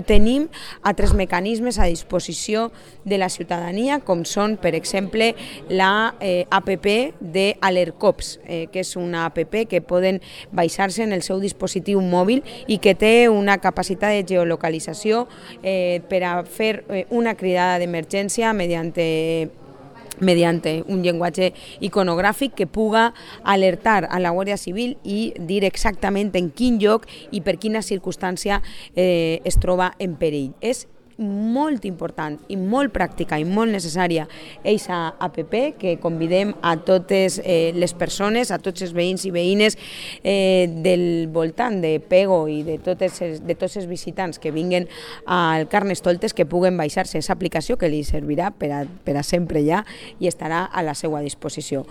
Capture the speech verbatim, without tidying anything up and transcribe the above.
Tenim altres mecanismes a disposició de la ciutadania, com són, per exemple, la eh, app de Alertcops, eh, que és una app que poden baixar-se en el seu dispositiu mòbil i que té una capacitat de geolocalització eh, per a fer eh, una cridada d'emergència mediante mediante un llenguatge iconogràfic que puga alertar a la Guàrdia Civil i dir exactament en quin lloc i per quina circumstància eh, es troba en perill. És molt important i molt pràctica i molt necessària aquesta app que convidem a totes eh, les persones, a tots els veïns i veïnes eh, del voltant de Pego i de, totes els, de tots els visitants que vinguen al Carnestoltes que puguen baixar-se aquesta aplicació que li servirà per a, per a sempre ja i estarà a la seva disposició.